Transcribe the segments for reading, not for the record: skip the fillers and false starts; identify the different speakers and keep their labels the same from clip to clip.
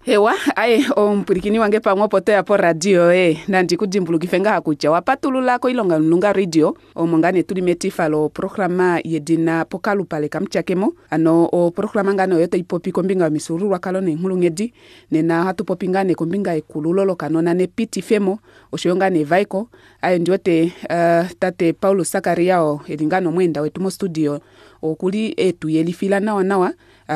Speaker 1: Hewa, aye omupwilikini wange pamwe opo toya poradio yoye, nandi ku dimbulukife ngaha kutya owa patulula koilonga yomulunga radio, omo ngaa nee tuli metifa loprograma yedina Pokalupale kaMutyakemo. Hano oprograma ngaa nee oyo tai popi kombinga yomifyuululwakalo neenghulunghedi. Nena ohatu popi ngaa nee kombinga yekululo lokanona nepitifemo, oshoyo ngaa nee evaeko. Aye ndi wete uh, tate Paulus Sakaria oo eli ngaa nee omweenda wetu mostudio okuli etu yelifila nawa nawa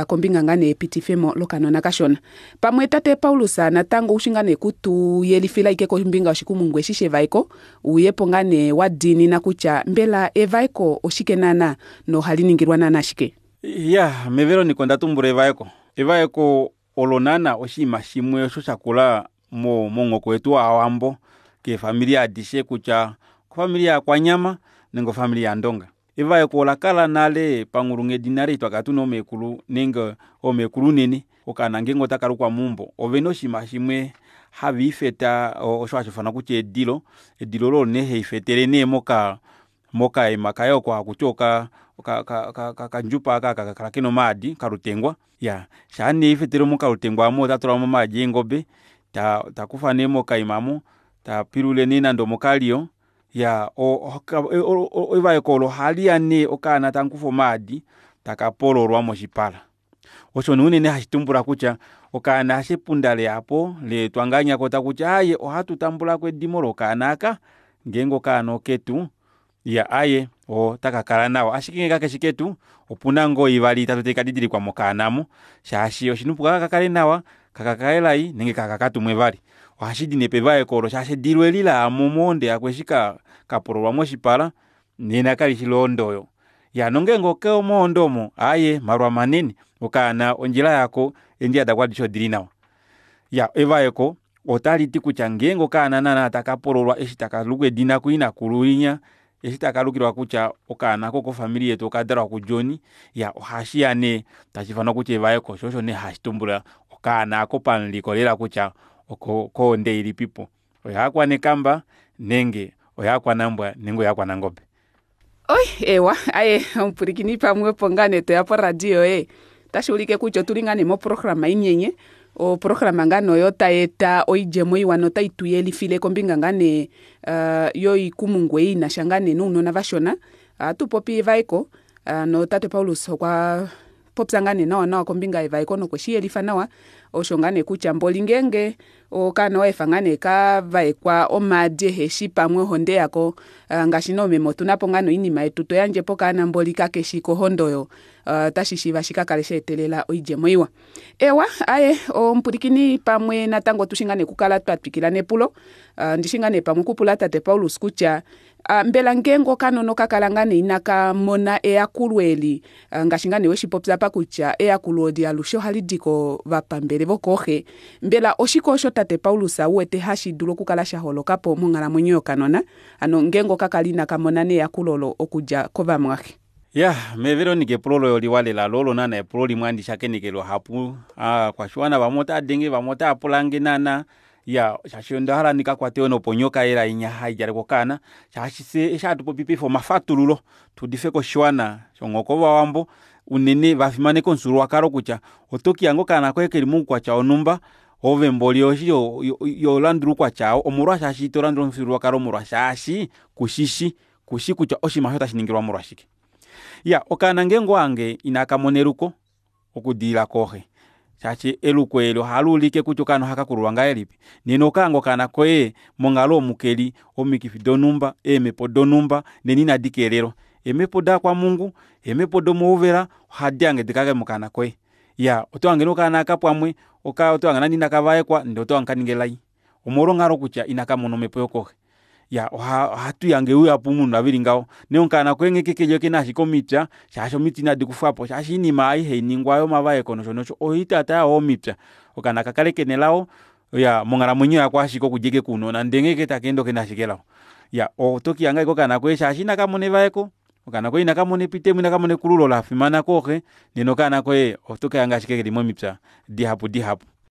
Speaker 1: kombinga ngaa nee yepitifemo lokanona kashona. Pamwe tate Paulus natango oushi ngaa nee kutu yelifila ike kombinga yoshikumungu eshi shevaeko, uyepo ngaa nee wa diinina kutya mbela evaeko oshike naana nohali ningilwa naana shike?
Speaker 2: Ya, meVeronica onda tumbula evaeko. Evaeko olo naana oshinima shimwe osho sha kula momuhoko wetu waawambo keefamili adishe kutya ofamili yaakwanyama nenge ofamili yaandonga. Evaeko ola kala nale panghulunghedi nale eshi twakala tuna oomekulu nenge oomekulu unene okaana ngeenge otaka lukwa meumbo ovena oshinima shimwe have ifeta osho hashi ufanwa kutya edilo. Edilo olo nee haifetele nee moka mokaima kaye oko hakuti oka okandjupa aka hakakala kena omaadi okalutengwa. Iyaa shaa nee haifetele mokalutengwa aamo ota tulamo omaadi eengobe takufa nee mokaima aamo tapilula nee nande omokaliyo iyaa evaeko olo ohaliya nee okaana tamukufwa omaadi taka pololwa moshipala. Osho nee unene hashi tumbula kutya okaana eshi epunda leyapo leetwa ngahenya koo takuti aaye ohatu tambulako edimo lokaana aaka ngeenge okaana oketu iya aaye otakakala nawa ashike ngenge kakeshi ketu opuna ngoo ivali itatu taikadidilikwa mokaana aamo shaashi oshina oupu kahakakale nawa, kahakakale lai nenge kahakatumwe vali. Ohashidi nee pevaeko olo shaashi edilo eli layamo mohonde yako eshi kapololwa moshipala nena kalishi lohonde oyo. Iyaa nongenge okomohonde omo aaye malwa manene okaana ondjila yako eendjila dako adishe odili nawa. Iyaa evaeko otaliti kutya ngeenge okaana naana taka pololwa eshi takalukwa edina kuinakulu winya eshi takalukilwa kutya okaana aaka okofamili yetu okadalwa ku john iyaa ohashiya nee tashiifanwa kutya evaeko shoo osho nee hashitumbula okaana aako pamuliko lela kutya okohonde ilipipo oyaakwanekamba nenge oyaakwanambwa nenge oyaakwanangobe.
Speaker 1: Oi eewa aye omupwilikini pamwe opo ngaa nee toya poradio yoye otashi ulike kutya otuli ngaa nee moprograma inyenye oprograma ngaa nee oyo tai eta oidjemo iwa notai tu yelifile kombinga ngaa nee yoikumungu ei inasha ngaa nee nounona vashona. Ohatu popi evaeko notate Paulus okwa popya ngaa nee nawa nawa kombinga yevaeko nokwe shiyelifa nawa osho ngaa nee kutya mboli ngeenge okaana owaefa ngaa nee kavaekwa omaadi eheshi pamwe ohonde yako ngaashi nee oomeme otunapo ngaa nee oinima yetu toyandje pokaana mboli kakeshi kohonde oyo ota shishiiva shikakale shaetelela oidjemo iwa. Eewa aaye omupwilikini pamwe natango otushi ngaa nee okukala twatwikila nepulo ondishi ngaa nee pamwe okupula tate Paulus kutya mbela ngeenge okanona okakala ngaa nee inakamona eyakulo eli ngaashi ngaa nee weshipopya apa kutya eyakulo eli alushe ohalidi kovapambele vokooxe mbela oshike osho tate Paulus uwete hashi dulu okukala shaholokapo monghalamwenyo yokanona hano ngeenge okakala inakamona nee eyakulo olo okudja kovamwaxe.
Speaker 2: Iyaa mee Veronica epulo loye oliwa lela loo olo naana epulo limwe handi shakeneke luhapu aakwashiwana vamwe otaadenge vamwe otaapulange naana iyaa shaashi ondahala ndikakwate yoo noponyoka elai inya haidjalekwa okaana shaashi fyee eshi hatupopi paife omafatululo tuudifeko oshiwana shomuhoko wovawambo unene vafimaneka omufyuululwakalo kutya otokihanga okaana koye keli moukwatya wonumba ove mboli oshili iholandula oukwatya oo omolwaashi itolandula omufyuululwakalo molwa shaashi kushishi kushi kutya oshinima aasho otashiningilwa molwashike. Iyaa okaana ngeenge owahange inakamona eluko okudilila kooxe shaashi eluko eeli ohaluulike kutya okaana ohakakululwa ngahelipi nena ohokahange okaana koye monghalo omu keli omikifi donumba eemepo donumba nena inadi keelelwa eemepo daakwamhungu eemepo domouvela ohadi hange dikale mokaana koye. Iyaa otohange nee okaana aaka pamwe otohange nande inakavaekwa ndee otohange kaninga elai omolwo onghalo kutya inakamona omepo yokooxe. Iyaa ohatuhange luhapu mounona veli ngaho nee okaana koye nghee keli okena ashike omipya shaashi omiti inadi kufwapo shaashi oinima ei hainingwa yomavaeko nosho nosho ohaitaataya yoo omipya okaana kakale kena elao iyaa monghalamwenyo yako ashike okudja ashike kounona ndee nghee ashike takeende okena ashike elao. Iyaa otokihanga ashike okaana koye shaashi inakamona evaeko okaana koye inakamona epitemo inakamona ekululo lafimana kooxe nena okaana koye otokahanga ashike keli momipya dihapu dihapu.